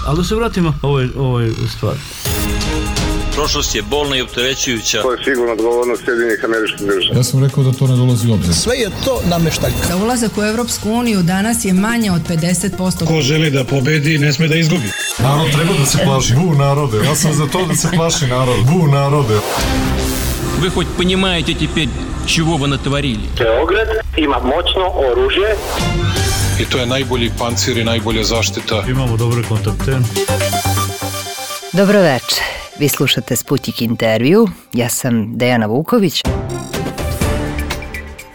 Ali da se vratimo ovoj stvari. Prošlost je bolna i opterećujuća. To je sigurno odgovornost Sjedinjenih Američkih Država. Ja sam rekao da to ne dolazi u obzir. Sve je to nameštaljka. Za ulazak u Evropsku uniju danas je manje od 50%. Ko želi da pobedi, ne sme da izgubi. Narod treba da se plaši. Bu narode. Ja sam za to da se plaši narod. Bu narode. Вы хоть понимаете теперь, чего вы натворили? Beograd ima moćno oružje. I to je najbolji pancir i najbolja zaštita. Imamo dobre kontakte. Dobro večer. Vi slušate Sputnik intervju. Ja sam Dejana Vuković.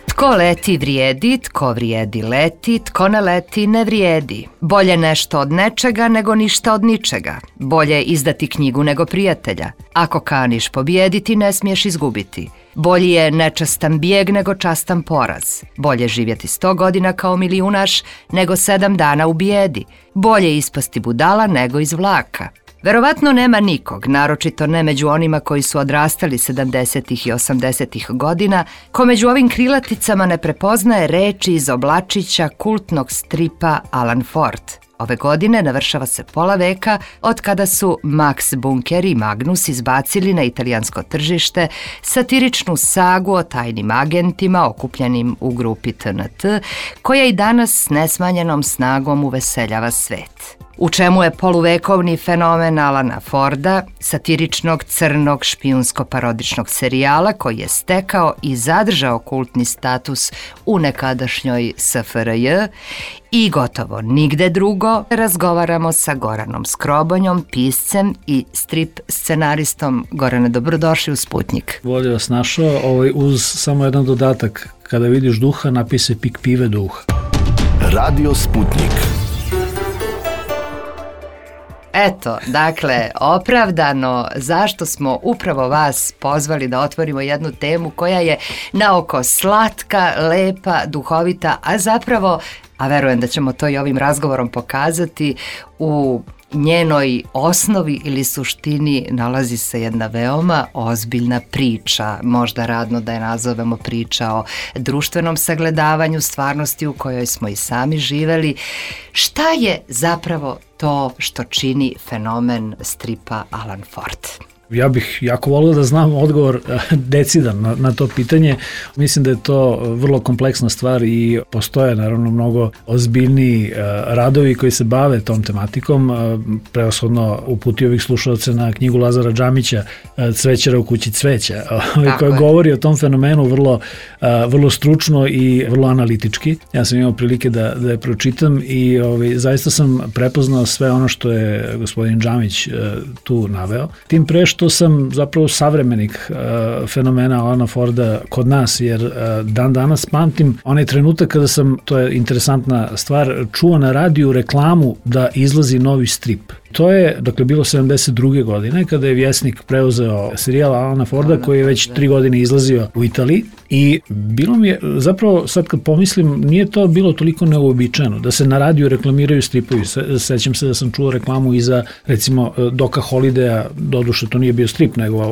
Tko leti vrijedi, tko vrijedi leti, tko ne leti ne vrijedi. Bolje nešto od nečega nego ništa od ničega. Bolje izdati knjigu nego prijatelja. Ako kaniš pobijediti, ne smiješ izgubiti. Bolji je nečastan bijeg nego častan poraz. Bolje živjeti 100 godina kao milijunaš nego 7 dana u bijedi. Bolje ispasti budala nego iz vlaka. Verovatno nema nikog, naročito ne među onima koji su odrastali 70. i 80. godina, ko među ovim krilaticama ne prepoznaje reči iz oblačića kultnog stripa Alan Ford. Ove godine navršava se pola veka od kada su Max Bunker i Magnus izbacili na italijansko tržište satiričnu sagu o tajnim agentima okupljenim u grupi TNT, koja i danas s nesmanjenom snagom uveseljava svet. U čemu je poluvekovni fenomen Alana Forda, satiričnog crnog špijunsko-parodičnog serijala koji je stekao i zadržao kultni status u nekadašnjoj SFRJ, i gotovo nigde drugo razgovaramo sa Goranom Skrobonjom, piscem i strip scenaristom. Gorane, dobrodošli u Sputnik. Bolje vas našao, uz samo jedan dodatak. Kada vidiš duha, napij se pik pive duha. Radio Sputnik. Eto, dakle, opravdano zašto smo upravo vas pozvali da otvorimo jednu temu koja je naoko slatka, lepa, duhovita, a zapravo, a verujem da ćemo to i ovim razgovorom pokazati, u njenoj osnovi ili suštini nalazi se jedna veoma ozbiljna priča, možda radno da je nazovemo priča o društvenom sagledavanju stvarnosti u kojoj smo i sami živeli. Šta je zapravo to što čini fenomen stripa Alan Ford? Ja bih jako volio da znam odgovor decidan na to pitanje. Mislim da je to vrlo kompleksna stvar i postoje naravno mnogo ozbiljniji radovi koji se bave tom tematikom. Prevashodno uputio bih slušalce na knjigu Lazara Džamića Cvećara u kući cveća, koja govori o tom fenomenu vrlo stručno i vrlo analitički. Ja sam imao prilike da je pročitam i zaista sam prepoznao sve ono što je gospodin Džamić tu naveo. Tim pre što sam zapravo savremenik fenomena Alana Forda kod nas, jer dan danas pamtim onaj trenutak kada sam, to je interesantna stvar, čuo na radiju reklamu da izlazi novi strip. To je, dakle, bilo 72. godine kada je Vjesnik preuzeo serijal Alana Forda koji je već 3 godine izlazio u Italiji i bilo mi je, zapravo sad kad pomislim, nije to bilo toliko neuobičajeno da se na radiju reklamiraju stripovi. Sećam se da sam čuo reklamu i za, recimo, Doka Holidaya, doduše to nije bio strip nego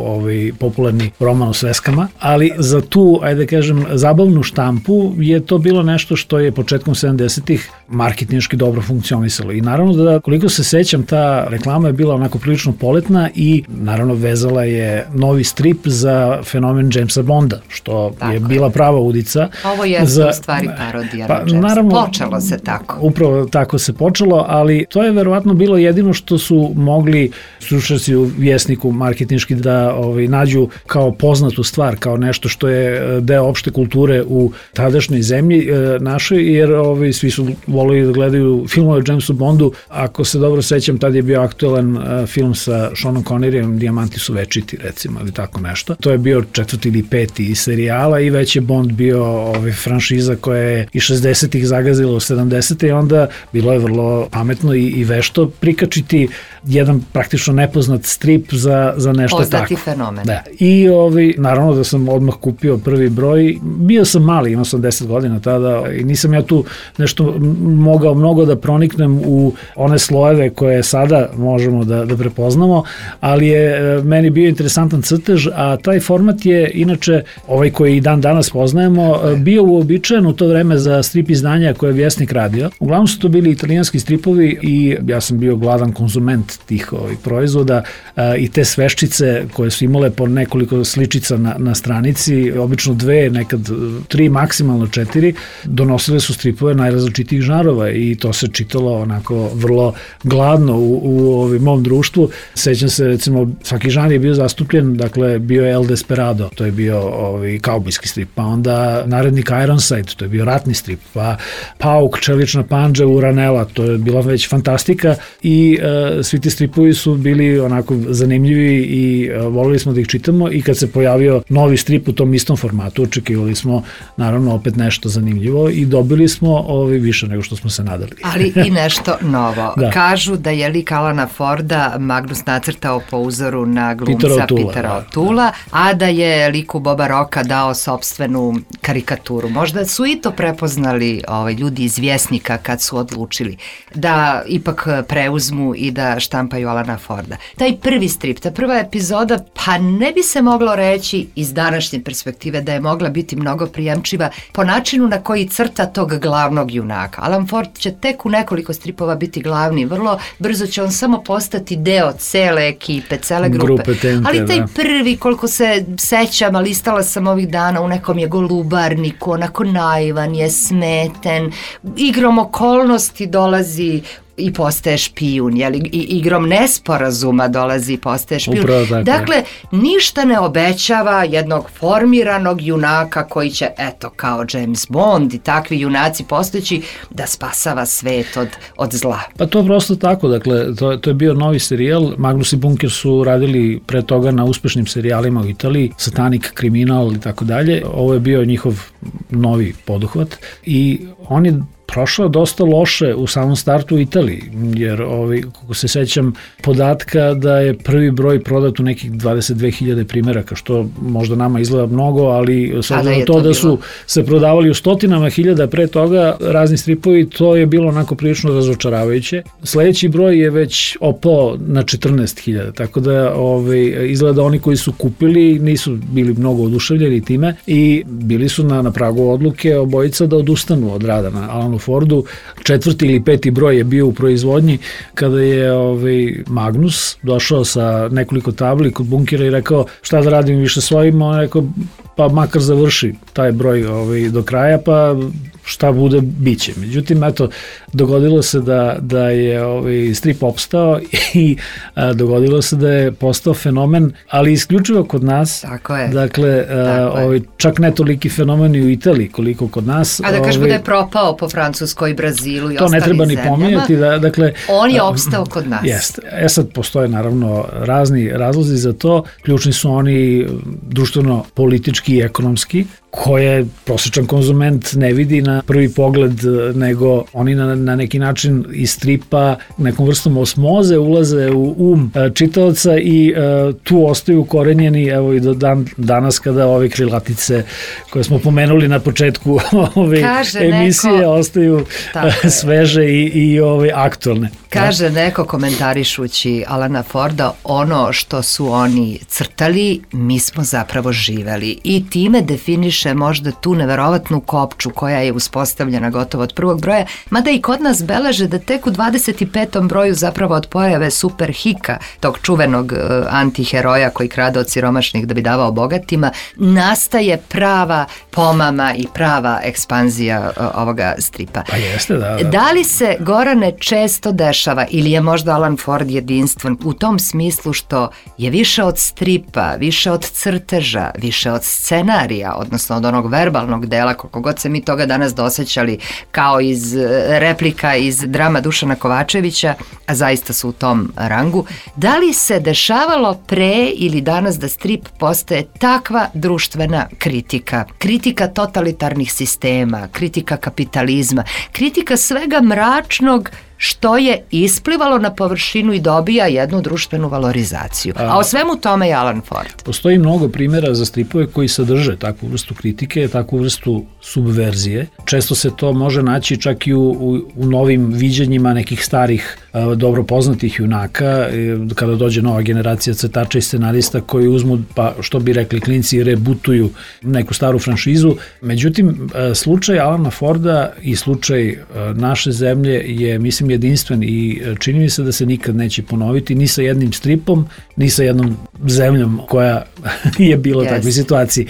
popularni roman o sveskama, ali za tu, ajde kažem, zabavnu štampu je to bilo nešto što je početkom 70-ih marketinški dobro funkcionisalo i naravno da, koliko se sećam, ta reklama je bila onako prilično poletna i naravno vezala je novi strip za fenomen Jamesa Bonda, što je bila prava udica. Ovo je u stvari parodija na Jamesa. Naravno, počelo se tako. Upravo tako se počelo, ali to je verovatno bilo jedino što su mogli stručnjaci u Vjesniku marketinški da nađu kao poznatu stvar, kao nešto što je deo opšte kulture u tadašnjoj zemlji našoj, jer svi su volili da gledaju filmove o Jamesu Bondu. Ako se dobro sećam, tad je bio aktualan film sa Seanom Conneryjem, Dijamanti su večiti, recimo, ili tako nešto. To je bio 4. ili 5. serijala i već je Bond bio franšiza koja je i 60-ih zagazila u 70-te i onda bilo je vrlo pametno i vešto prikačiti jedan praktično nepoznat strip za nešto poznati tako. Poznati fenomen. Da. I naravno da sam odmah kupio prvi broj. Bio sam mali, imao sam 10 godina tada i nisam ja tu nešto mogao mnogo da proniknem u one slojeve koje je sada možemo da prepoznamo, ali je meni bio interesantan crtež, a taj format je inače, ovaj koji i dan danas poznajemo, bio uobičajen u to vreme za strip izdanja koje je Vjesnik radio. Uglavnom su to bili italijanski stripovi i ja sam bio gladan konzument tih proizvoda i te sveščice koje su imale po nekoliko sličica na stranici, obično 2, nekad 3, maksimalno 4, donosile su stripove najrazličitijih žanrova i to se čitalo onako vrlo gladno u mom društvu. Sećam se, recimo, svaki žanr je bio zastupljen, dakle, bio je El Desperado, to je bio kaubojski strip, pa onda Narednik Ironside, to je bio ratni strip, pa Pauk, Čelična pandža, Uranela, to je bila već fantastika i svi ti stripovi su bili onako zanimljivi i volili smo da ih čitamo i kad se pojavio novi strip u tom istom formatu, očekivali smo naravno opet nešto zanimljivo i dobili smo više nego što smo se nadali. Ali i nešto novo. Da. Kažu da je lik Alana Forda Magnus nacrtao po uzoru na glumca Petera O'Toola, a da je liku Boba Rocka dao sopstvenu karikaturu. Možda su i to prepoznali ljudi iz Vjesnika kad su odlučili da ipak preuzmu i da štampaju Alana Forda. Taj prvi strip, ta prva epizoda, pa ne bi se moglo reći iz današnje perspektive da je mogla biti mnogo prijemčiva po načinu na koji crta tog glavnog junaka. Alan Ford će tek u nekoliko stripova biti glavni, vrlo brzo će on samo postati deo cele ekipe, cele grupe. Ali taj prvi, koliko se sećam, a listala sam ovih dana, u nekom je golubarniku, onako naivan je, smeten, igrom okolnosti dolazi i postaje špijun, jeli, i igrom nesporazuma dolazi i postaje špijun. Dakle, ništa ne obećava jednog formiranog junaka koji će, eto, kao James Bond i takvi junaci postojeći, da spasava svet od zla. Pa to je prosto tako, dakle, to je bio novi serijal. Magnus i Bunker su radili pre toga na uspešnim serijalima u Italiji, Satanic, Kriminal i tako dalje. Ovo je bio njihov novi poduhvat i on je prošao dosta loše u samom startu u Italiji, jer kako se sećam podatka da je prvi broj prodat u nekih 22.000 primjeraka, što možda nama izgleda mnogo, ali s obzirom na to da su se prodavali u stotinama hiljada pre toga razni stripovi, to je bilo onako prilično razočaravajuće. Sledeći broj je već opao na 14.000, tako da izgleda oni koji su kupili nisu bili mnogo oduševljeni time i bili su na pragu odluke obojica da odustanu od rada na Alanu Fordu. 4. ili 5. broj je bio u proizvodnji kada je Magnus došao sa nekoliko tabli kod Bunkera i rekao šta da radim više svojim, on rekao pa makar završi taj broj do kraja, pa šta bude, bit će. Međutim, eto, dogodilo se da je strip opstao i dogodilo se da je postao fenomen, ali isključivo kod nas. Tako je. Dakle, čak ne toliki fenomen i u Italiji koliko kod nas. A da kažemo da je propao po Francuskoj, Brazilu i to ostalim zemljama. To ne treba ni pominjati. Dakle, on je opstao kod nas. Jeste. Sad postoje naravno razni razlozi za to. Ključni su oni društveno-politički i ekonomski, koje prosječan konzument ne vidi na prvi pogled, nego oni na neki način iz stripa nekom vrstom osmoze ulaze u čitaoca i tu ostaju ukorenjeni, evo i do danas kada ove krilatice koje smo pomenuli na početku ove emisije ostaju sveže i aktualne. Kaže neko komentarišući Alana Forda, ono što su oni crtali, mi smo zapravo živeli i time definiše možda tu neverovatnu kopču koja je uspostavljena gotovo od prvog broja, mada i kod nas beleže da tek u 25. broju zapravo od pojave Super Hika, tog čuvenog antiheroja koji krade od siromašnih da bi davao bogatima, nastaje prava pomama i prava ekspanzija ovoga stripa. Pa jeste, da. Da li se, Gorane, često dešava ili je možda Alan Ford jedinstven u tom smislu što je više od stripa, više od crteža, više od scenarija, odnosno od onog verbalnog dela, koliko god se mi toga danas dosećali kao iz replika iz drama Dušana Kovačevića, a zaista su u tom rangu. Da li se dešavalo pre ili danas da strip postaje takva društvena kritika? Kritika totalitarnih sistema, kritika kapitalizma, kritika svega mračnog što je isplivalo na površinu i dobija jednu društvenu valorizaciju. A o svemu tome je Alan Ford. Postoji mnogo primjera za stripove koji sadrže takvu vrstu kritike, takvu vrstu subverzije. Često se to može naći čak i u novim viđenjima nekih starih dobro poznatih junaka, kada dođe nova generacija crtača i scenarista koji uzmu, pa što bi rekli klinci, rebutuju neku staru franšizu. Međutim, slučaj Alana Forda i slučaj naše zemlje je, mislim, jedinstven i čini mi se da se nikad neće ponoviti ni sa jednim stripom, ni sa jednom zemljom koja je bila u takvoj situaciji.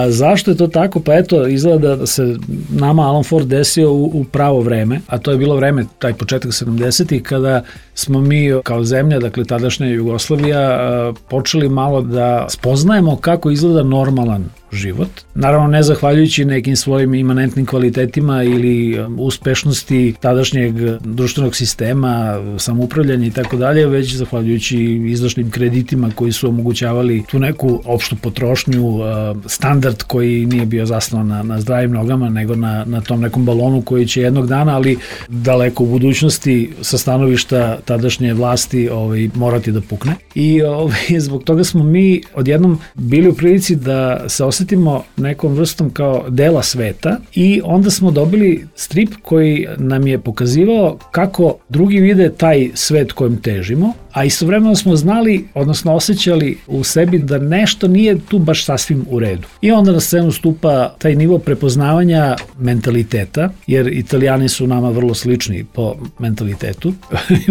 Zašto je to tako? Pa eto, izgleda da se nama Alan Ford desio u pravo vreme, a to je bilo vreme, taj početak 70-ih, kada smo mi kao zemlja, dakle tadašnja Jugoslavija, počeli malo da spoznajemo kako izgleda normalan život. Naravno, ne zahvaljujući nekim svojim imanentnim kvalitetima ili uspešnosti tadašnjeg društvenog sistema, samoupravljanja i tako dalje, već zahvaljujući izdašnim kreditima koji su omogućavali tu neku opštu potrošnju, standard koji nije bio zasnovan na zdravim nogama, nego na tom nekom balonu koji će jednog dana, ali daleko u budućnosti sa stanovišta tadašnje vlasti morati da pukne. I zbog toga smo mi odjednom bili u prilici da se osetimo nekom vrstom kao dela sveta i onda smo dobili strip koji nam je pokazivao kako drugi vide taj svet kojem težimo, a istovremeno smo znali, odnosno osjećali u sebi da nešto nije tu baš sasvim u redu. I onda na scenu stupa taj nivo prepoznavanja mentaliteta, jer Italijani su nama vrlo slični po mentalitetu,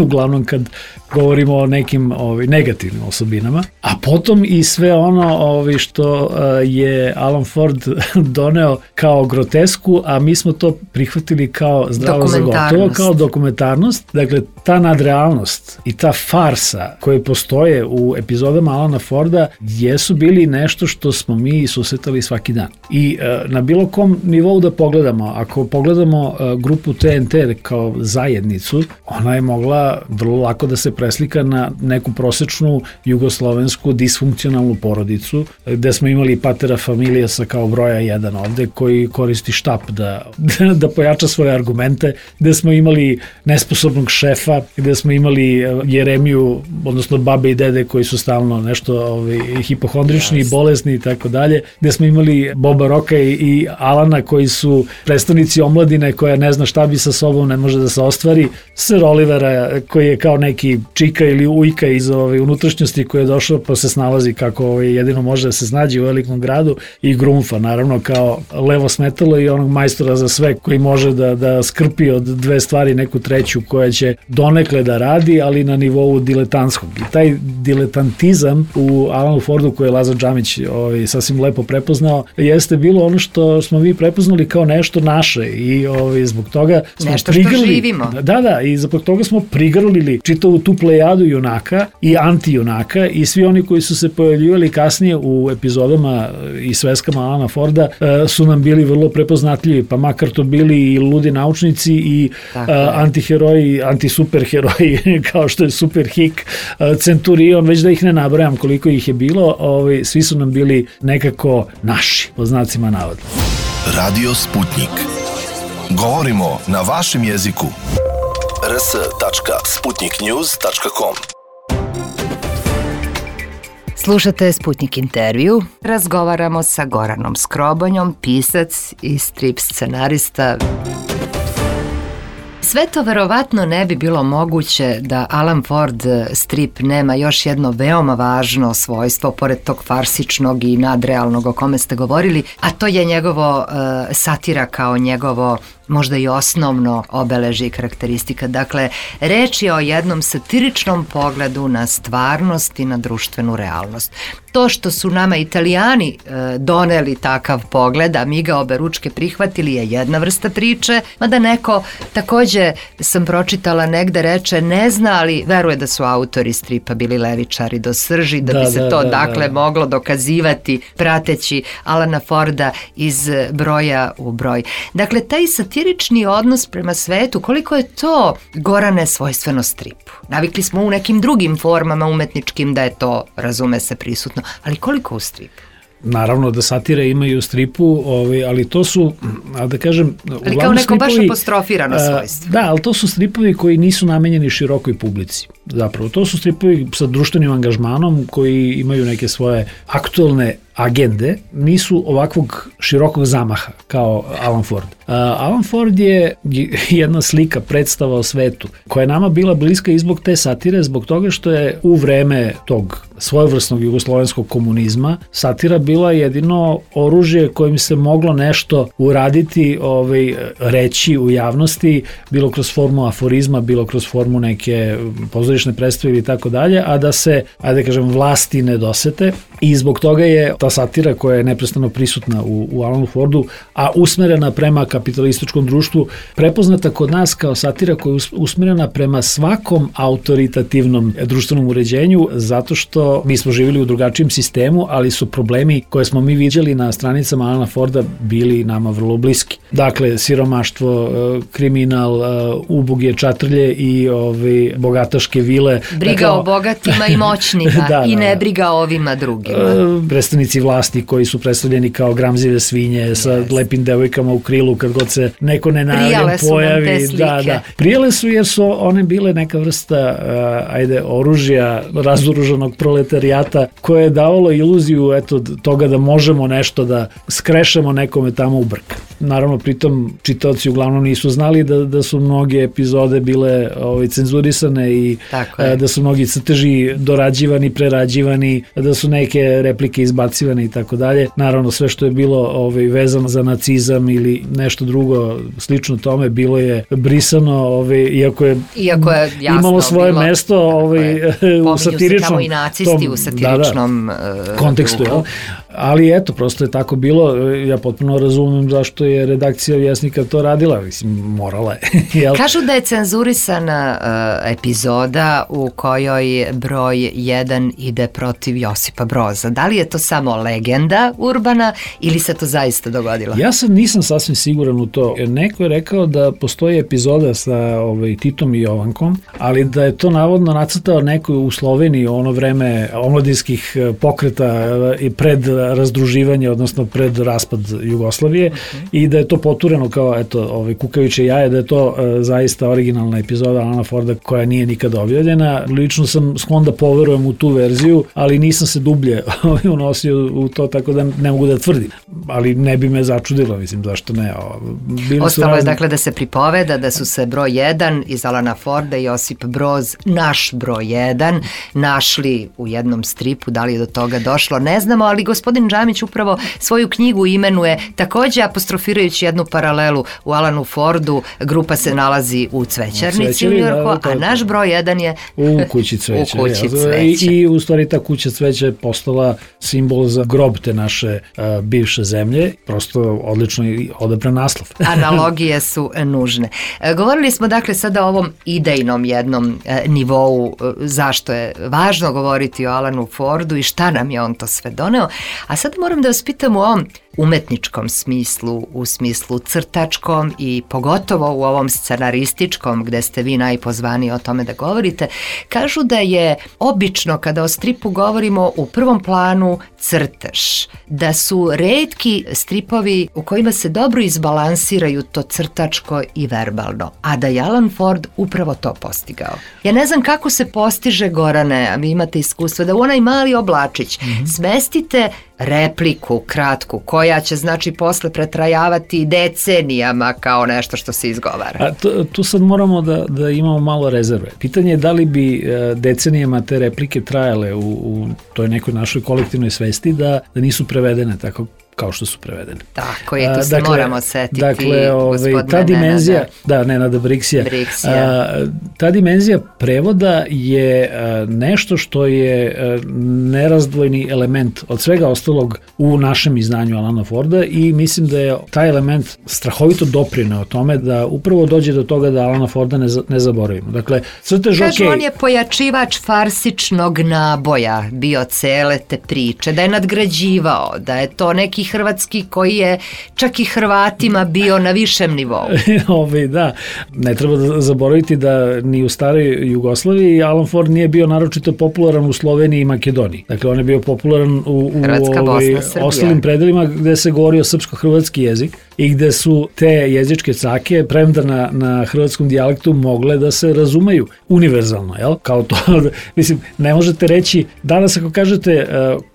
uglavnom kad govorimo o nekim negativnim osobinama, a potom i sve ono što je Alan Ford doneo kao grotesku, a mi smo to prihvatili kao zdravo za gotovo, kao dokumentarnost. Dakle, ta nadrealnost i ta farsa koje postoje u epizodama Alana Forda jesu bili nešto što smo mi susretali svaki dan. I na bilo kom nivou da pogledamo, ako pogledamo grupu TNT kao zajednicu, ona je mogla vrlo lako da se preslika na neku prosečnu jugoslovensku disfunkcionalnu porodicu, gde smo imali patera familijasa kao broja 1 ovde, koji koristi štap da pojača svoje argumente, gde smo imali nesposobnog šefa, gde smo imali Jeremiju, odnosno babe i dede koji su stalno nešto hipohondrični i bolesni i tako dalje, gde smo imali Boba Roka i Alana koji su predstavnici omladine koja ne zna šta bi sa sobom, ne može da se ostvari, Sir Olivera koji je kao neki čika ili ujka iz unutrašnjosti koji je došao pa se snalazi kako jedino može da se snađe u velikom gradu, i Grumfa naravno kao levo smetalo i onog majstora za sve koji može da skrpi od dve stvari neku treću koja će donekle da radi, ali na nivou diletantskog. I taj diletantizam u Alanu Fordu koji je Lazar Džamić sasvim lepo prepoznao jeste bilo ono što smo mi prepoznali kao nešto naše i zbog toga smo nešto što živimo. Da, i zbog toga smo prigrlili čitavu tu plejadu junaka i antijunaka i svi oni koji su se pojavljivali kasnije u epizodama i sveskama Alana Forda su nam bili vrlo prepoznatljivi, pa makar to bili i ludi naučnici i antiheroji, antisuperheroji kao što je Superhik, Centurion, već da ih ne nabrajam koliko ih je bilo, svi su nam bili nekako naši, po znacima navoda. Radio Sputnik. Govorimo na vašem jeziku. rs.sputniknews.com. Slušate Sputnik intervju. Razgovaramo sa Goranom Skrobonjom, pisac i strip scenarista. Sve to verovatno ne bi bilo moguće da Alan Ford strip nema još jedno veoma važno svojstvo, pored tog farsičnog i nadrealnog o kome ste govorili, a to je njegovo satira kao njegovo možda i osnovno obeležje i karakteristika. Dakle, reč je o jednom satiričnom pogledu na stvarnost i na društvenu realnost. To što su nama Italijani doneli takav pogled, a mi ga oberučke prihvatili, je jedna vrsta priče, mada neko, takođe sam pročitala negde, reče ne zna, ali veruje da su autori stripa bili levičari do srži, da bi se to moglo dokazivati prateći Alana Forda iz broja u broj. Dakle, taj satirični odnos prema svetu, koliko je to, Gorane, svojstveno stripu? Navikli smo u nekim drugim formama umetničkim da je to, razume se, prisutno, ali koliko u stripu? naravno da satire imaju u stripu, ali to su, da kažem, ali kao neko baš apostrofirano svojstvo. Da, ali to su stripovi koji nisu namenjeni širokoj publici. Zapravo, to su stripovi sa društvenim angažmanom koji imaju neke svoje aktualne agende, nisu ovakvog širokog zamaha kao Alan Ford. Alan Ford je jedna slika, predstava o svetu, koja je nama bila bliska i zbog te satire, zbog toga što je u vreme tog svojevrsnog jugoslovenskog komunizma satira bila jedino oružje kojim se moglo nešto uraditi, reći u javnosti, bilo kroz formu aforizma, bilo kroz formu neke pozorišne predstave ili tako dalje, a da se, ajde kažem, vlasti ne dosete, i zbog toga je ta satira koja je neprestano prisutna u Alanu Fordu, a usmerena prema kapitalističkom društvu, prepoznata kod nas kao satira koja je usmerena prema svakom autoritativnom društvenom uređenju, zato što mi smo živjeli u drugačijem sistemu, ali su problemi koje smo mi viđali na stranicama Alana Forda bili nama vrlo bliski. Dakle, siromaštvo, kriminal, uboge čatrlje i bogataške vile. Briga o bogatima i moćnima i ne briga o ovima drugima. Predstavnici vlasti koji su predstavljeni kao gramzive svinje sa lepim devojkama u krilu kad god se neko nenajavljen pojavi. Prijale su nam te slike. Prijale su jer su one bile neka vrsta oružja razoružanog proletarijata koje je davalo iluziju toga da možemo nešto da skrešemo nekome tamo u brk. Naravno, pritom čitaoci uglavnom nisu znali da su mnoge epizode bile cenzurisane i da su mnogi crteži dorađivani, prerađivani, da su neke replike izbacivane i tako dalje. Naravno, sve što je bilo vezano za nacizam ili nešto drugo slično tome bilo je brisano, iako je jasno imalo svoje bilo, mesto u satiričnom tamo i nacisti u satiričnom kontekstu. Ali eto, prosto je tako bilo. Ja potpuno razumem zašto je redakcija Vjesnika to radila. Mislim, morala je. Kažu da je cenzurisana epizoda u kojoj broj 1 ide protiv Josipa Broza. Da li je to samo legenda urbana ili se to zaista dogodilo? Ja sad nisam sasvim siguran u to. Neko je rekao da postoji epizoda sa Titom i Jovankom, ali da je to navodno nacrtao neko u Sloveniji ono vreme omladinskih pokreta i pred razdruživanje, odnosno pred raspad Jugoslavije, i da je to potureno kao kukaviče jaje, da je to zaista originalna epizoda Alana Forda koja nije nikada objavljena. Lično sam sklon da poverujem u tu verziju, ali nisam se dublje unosio u to, tako da ne mogu da tvrdim. Ali ne bi me začudilo, mislim, zašto ne. Ostalo je dakle da se pripoveda da su se broj 1 iz Alana Forda i Josip Broz, naš broj 1, našli u jednom stripu. Da li je do toga došlo, ne znamo, ali gospodin Džamić upravo svoju knjigu imenuje takođe apostrofirajući jednu paralelu u Alanu Fordu. Grupa se nalazi u Cvećarnici u Njujorku, a naš broj 1 je u kući cveća. I u stvari ta kuća cveća je postala simbol za grob te naše bivše zemlje. Prosto odlično i odabran naslov. Analogije su nužne. Govorili smo dakle sada o ovom idejnom jednom nivou, zašto je važno govoriti o Alanu Fordu i šta nam je on to sve doneo. A sad moram da vas pitam u ovom umetničkom smislu, u smislu crtačkom i pogotovo u ovom scenarističkom gde ste vi najpozvaniji o tome da govorite. Kažu da je obično kada o stripu govorimo u prvom planu crtež, da su retki stripovi u kojima se dobro izbalansiraju to crtačko i verbalno, a da je Alan Ford upravo to postigao. Ja ne znam kako se postiže, Gorane, a vi imate iskustva, da u onaj mali oblačić smestite repliku kratku koja će znači posle pretrajavati decenijama kao nešto što se izgovara. A tu sad moramo da imamo malo rezerve. Pitanje je da li bi decenijama te replike trajale u toj nekoj našoj kolektivnoj svesti da nisu prevedene tako kao što su prevedene. Tako je, tu se moramo setiti. Dakle, ta dimenzija, Nenada Briksija, ta dimenzija prevoda je nešto što je nerazdvojni element od svega ostalog u našem izdanju Alana Forda i mislim da je taj element strahovito doprineo o tome da upravo dođe do toga da Alana Forda ne zaboravimo. Dakle, crtež kažu, on je pojačivač farsičnog naboja bio cele te priče, da je nadgrađivao, da je to neki hrvatski koji je čak i Hrvatima bio na višem nivou. Da, ne treba da zaboraviti da ni u staroj Jugoslaviji Alan Ford nije bio naročito popularan u Sloveniji i Makedoniji. Dakle, on je bio popularan u ostalim predelima gde se govorio srpsko-hrvatski jezik i gde su te jezičke cake, premda na hrvatskom dijalektu, mogle da se razumeju univerzalno, jel? Kao to, mislim, ne možete reći, danas ako kažete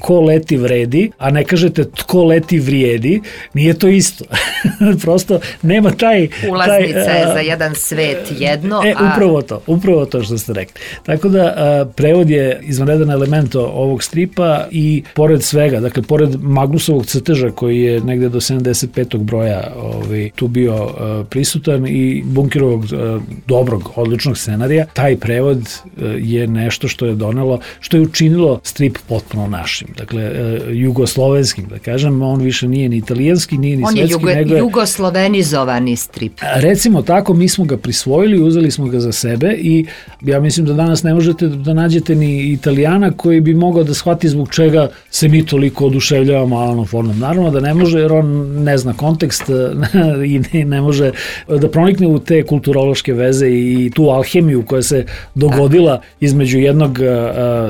ko leti vredi, a ne kažete tko leti vrijedi, nije to isto. Prosto nema taj... Ulaznica je za jedan svet jedno, Upravo to što ste rekli. Tako da, prevod je izvanredan element ovog stripa i pored svega, dakle, pored Magnusovog crteža koji je negde do 75. broja tu bio prisutan i Bunkerovog dobrog, odličnog scenarija, taj prevod je nešto što je donelo, što je učinilo strip potpuno našim. Dakle, jugoslovenskim, da kažem, on više nije ni italijanski, nije ni svetski. On je jugoslovenizovani strip. Recimo tako, mi smo ga prisvojili, uzeli smo ga za sebe i ja mislim da danas ne možete da nađete ni Italijana koji bi mogao da shvati zbog čega se mi toliko oduševljavamo Alanom Fordom. Naravno da ne može, jer on ne zna kontekst i ne može da pronikne u te kulturološke veze i tu alhemiju koja se dogodila između jednog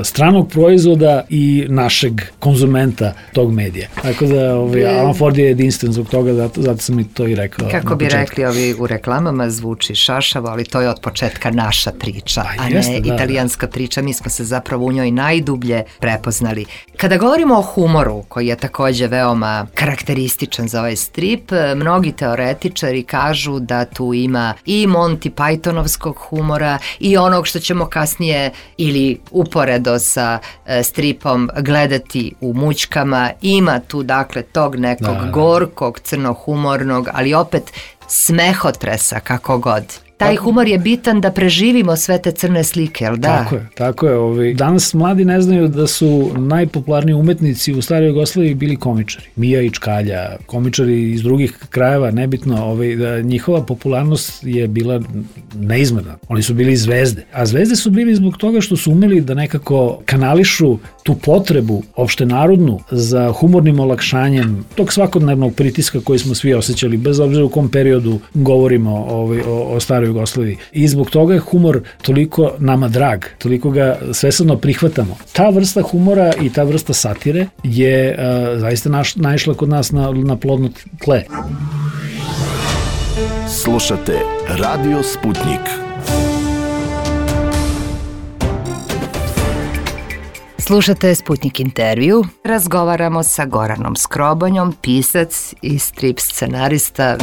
stranog proizvoda i našeg konzumenta tog medija. Tako da Alan Ford je jedinstven zbog toga, zato sam i to i rekao. Kako bi rekli ovi u reklamama, zvuči šašavo, ali to je od početka naša priča, a ne italijanska priča. Mi smo se zapravo u njoj najdublje prepoznali. Kada govorimo o humoru, koji je takođe veoma karakterističan za ovaj strip, mnogi teoretičari kažu da tu ima i Monty Pythonovskog humora i onog što ćemo kasnije ili uporedo sa stripom gledati u Mućkama. Ima tu dakle tog nekog gorkog, crnohumornog, ali opet smehotresa kako god. Taj humor je bitan da preživimo sve te crne slike, jel da? Tako je. Danas mladi ne znaju da su najpopularniji umetnici u staroj Jugoslaviji bili komičari. Mija i Čkalja, komičari iz drugih krajeva, nebitno, njihova popularnost je bila neizmerna. Oni su bili zvezde. A zvezde su bili zbog toga što su umeli da nekako kanališu tu potrebu opštenarodnu za humornim olakšanjem tog svakodnevnog pritiska koji smo svi osjećali, bez obzira u kom periodu govorimo o staroj Jugoslaviji. I zbog toga je humor toliko nama drag, toliko ga svesrdno prihvatamo. Ta vrsta humora i ta vrsta satire je zaista naišla kod nas na plodno tle. Slušate Radio Sputnik. Slušate Sputnik intervju. Razgovaramo sa Goranom Skrobonjom, pisac i strip scenarista.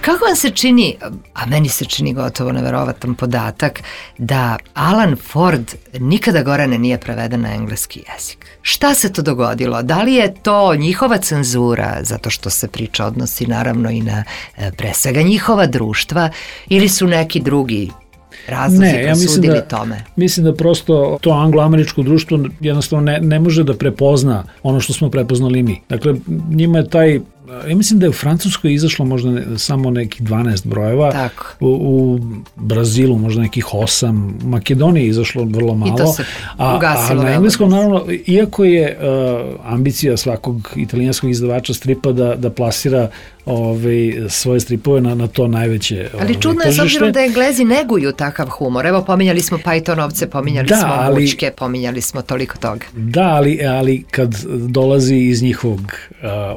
Kako vam se čini, a meni se čini gotovo neverovatan podatak, da Alan Ford nikada, Gorane, nije preveden na engleski jezik? Šta se to dogodilo? Da li je to njihova cenzura, zato što se priča odnosi naravno i na pre svega njihova društva, ili su neki drugi razlozi presudili tome? Mislim da prosto to anglo-američko društvo jednostavno ne može da prepozna ono što smo prepoznali mi. Dakle, njima je taj... Ja mislim da je u Francuskoj izašlo možda samo nekih 12 brojeva, u Brazilu možda nekih 8, u Makedoniji je izašlo vrlo malo, i to se ugasilo. A na engleskom, naravno, iako je ambicija svakog italijanskog izdavača stripa da plasira svoje stripove na to najveće ali čudno je s obzirom da Englezi neguju takav humor. Evo, pominjali smo Pythonovce, pominjali smo Mućke, pominjali smo toliko toga. Da, ali kad dolazi iz njihovog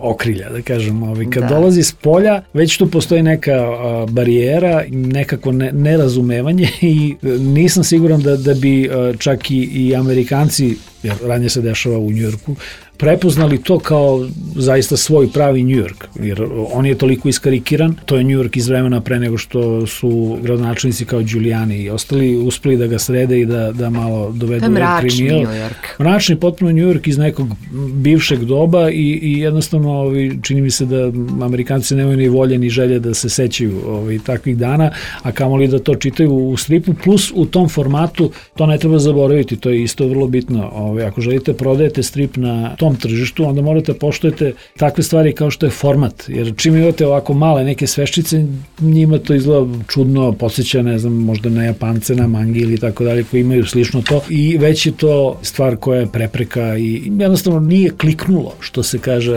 okrilja, da kažem, kad dolazi s polja, već tu postoji neka barijera, nekako nerazumevanje i nisam siguran da bi čak i Amerikanci, jer ranije se dešava u Njujorku, prepoznali to kao zaista svoj pravi New York, jer on je toliko iskarikiran, to je New York iz vremena pre nego što su gradonačelnici kao Giuliani i ostali uspeli da ga srede i da malo dovedu u kriminal. New York. Mračni potpuno New York iz nekog bivšeg doba i jednostavno čini mi se da Amerikanci nemaju ni volje ni želje da se sećaju takvih dana, a kamoli da to čitaju u stripu, plus u tom formatu, to ne treba zaboraviti, to je isto vrlo bitno. Ako želite prodajete strip na tom tom tržištu, onda morate poštujete takve stvari kao što je format, jer čim imate ovako male neke sveščice, njima to izgleda čudno, podsjeća, ne znam, možda na Japance, na mangi ili tako dalje, koji imaju slično to, i već je to stvar koja je prepreka i jednostavno nije kliknulo, što se kaže,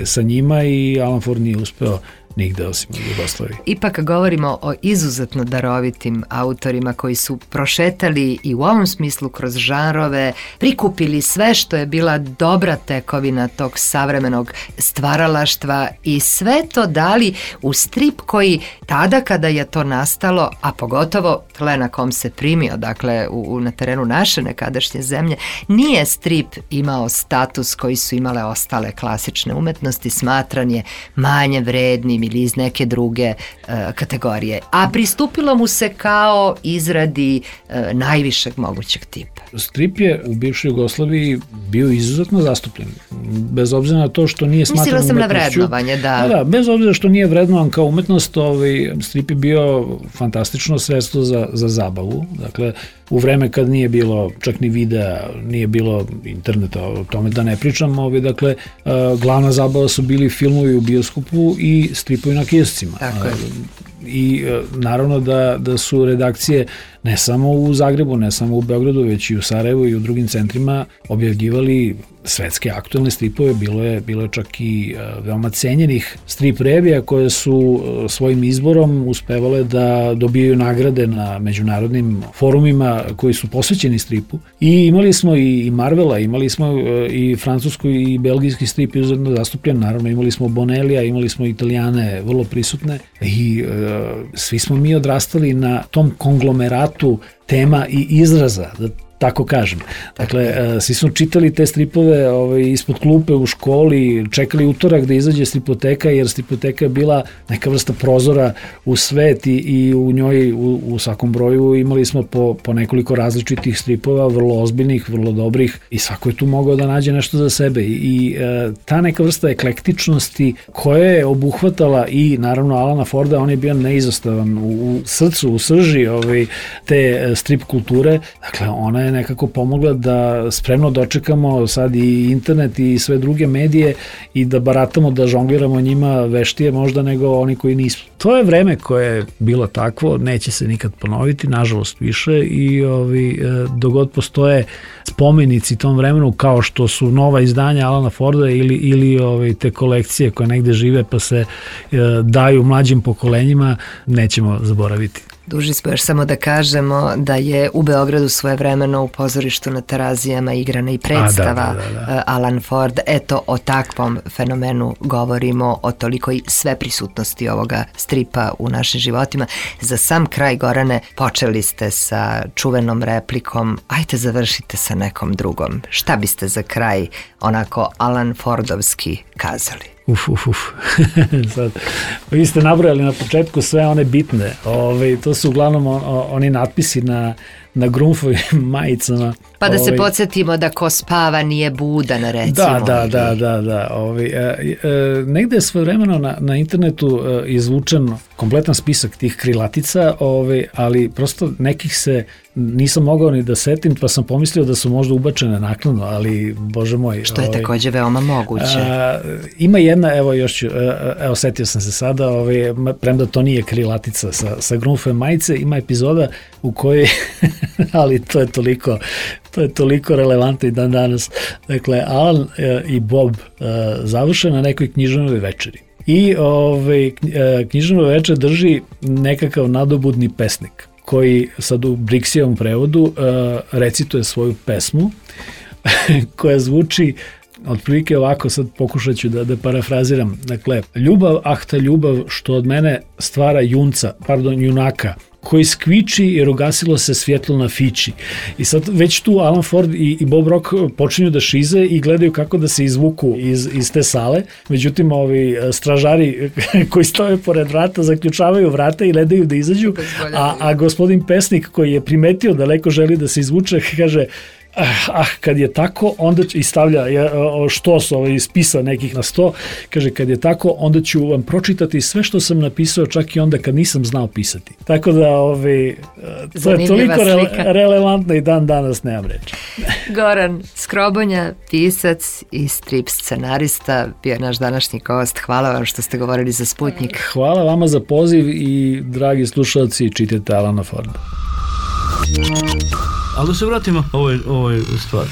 sa njima, i Alan Ford nije uspeo nigde osim u Jugoslaviji. Ipak govorimo o izuzetno darovitim autorima koji su prošetali i u ovom smislu kroz žanrove, prikupili sve što je bila dobra tekovina tog savremenog stvaralaštva i sve to dali u strip koji tada kada je to nastalo, a pogotovo tle na kom se primio, dakle na terenu naše nekadašnje zemlje, nije strip imao status koji su imale ostale klasične umetnosti, smatran je manje vrednim ili iz neke druge kategorije. A pristupilo mu se kao izradi najvišeg mogućeg tipa. Strip je u bivšoj Jugoslaviji bio izuzetno zastupljen. Bez obzira na to što nije smatran umetnošću. Mislila sam na vrednovanje, da. Da, bez obzira što nije vrednovan kao umetnost, strip je bio fantastično sredstvo za zabavu. Dakle, u vreme kad nije bilo čak ni videa, nije bilo interneta, o tome da ne pričam, dakle, glavna zabava su bili filmovi u bioskopu i stripovi na kioscima. Tako je. I naravno da su redakcije ne samo u Zagrebu, ne samo u Beogradu, već i u Sarajevu i u drugim centrima objavljivali svetske aktuelne stripove. Bilo je čak i veoma cenjenih strip revija koje su svojim izborom uspevale da dobijaju nagrade na međunarodnim forumima koji su posvećeni stripu. I imali smo i Marvela, imali smo i francuski i belgijski strip izuzetno zastupljen, naravno imali smo Bonelija, imali smo Italijane vrlo prisutne i svi smo mi odrastali na tom konglomeratu tema i izraza, da tako kažem. Dakle, svi smo čitali te stripove ispod klupe u školi, čekali utorak da izađe stripoteka, jer stripoteka je bila neka vrsta prozora u svet i u njoj u svakom broju imali smo po nekoliko različitih stripova, vrlo ozbiljnih, vrlo dobrih, i svako je tu mogao da nađe nešto za sebe. I ta neka vrsta eklektičnosti koja je obuhvatala i naravno Alana Forda, on je bio neizostavan u srcu, u srži te strip kulture. Dakle, ona je nekako pomogla da spremno dočekamo sad i internet i sve druge medije i da baratamo, da žongliramo njima veštije možda nego oni koji nisu. To je vreme koje je bilo takvo, neće se nikad ponoviti, nažalost više, i dogod postoje spomenici tom vremenu kao što su nova izdanja Alana Forda ili te kolekcije koje negde žive pa se daju mlađim pokolenjima, nećemo zaboraviti. Duži smo, još samo da kažemo da je u Beogradu svojevremeno u pozorištu na Terazijama igrana i predstava Alan Ford. Eto, o takvom fenomenu govorimo, o tolikoj sveprisutnosti ovoga stripa u našim životima. Za sam kraj, Gorane, počeli ste sa čuvenom replikom, ajte završite sa nekom drugom. Šta biste za kraj onako Alan Fordovski kazali? Sad, vi ste nabrojali na početku sve one bitne. To su uglavnom oni natpisi na Grunfovim majicama. Pa da se podsjetimo da ko spava nije budan, recimo. Da. Negde je svojevremeno na internetu izvučen kompletan spisak tih krilatica, ali prosto nekih se nisam mogao ni da setim, pa sam pomislio da su možda ubačene naknadno, ali bože moj. Što je takođe veoma moguće. Ima jedna, setio sam se sada, premda to nije krilatica sa Grunfove majice, ima epizoda u kojoj, ali to je toliko relevantno i dan danas. Dakle, Alan i Bob završe na nekoj književnoj večeri. I književnu večer drži nekakav nadobudni pesnik koji sad u Brixijevom prevodu recituje svoju pesmu koja zvuči otprilike ovako, sad pokušat ću da parafraziram. Dakle, ljubav, ta ljubav što od mene stvara junaka, koji skviči jer ugasilo se svjetlo na fići. I sad već tu Alan Ford i Bob Rock počinju da šize i gledaju kako da se izvuku iz te sale. Međutim, ovi stražari koji stoje pored vrata zaključavaju vrata i ne daju da izađu, a gospodin pesnik koji je primetio da daleko želi da se izvuče kaže: kad je tako, onda i stavlja štos spisa nekih na 100, kaže kad je tako, onda ću vam pročitati sve što sam napisao, čak i onda kad nisam znao pisati. Tako da to je toliko relevantno i dan danas nemam reći. Goran Skrobonja, pisac i strip scenarista, bio je naš današnji gost. Hvala vam što ste govorili za Sputnjik. Hvala vama za poziv i dragi slušalci, čitajte Alana Forda. Ali da se vratimo ovoj stvari.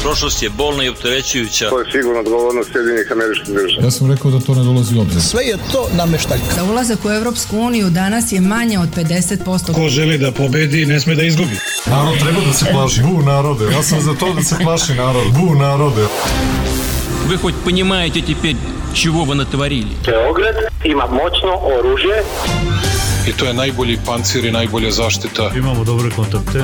Prošlost je bolna i opterećujuća. To je sigurno odgovornost Sjedinjenih Američkih Država. Ja sam rekao da to ne dolazi u obzir. Sve je to nameštaljka. Za ulazak u Evropsku uniju danas je manje od 50%. Ko želi da pobedi, ne sme da izgubi. Narod treba da se plaši. Bu narode. Ja sam za to da se plaši narod. Bu narode. Вы хоть понимаете теперь, чего вы натворили? Beograd ima moćno oružje. I to je najbolji pancir i najbolja zaštita. Imamo dobre kontakte.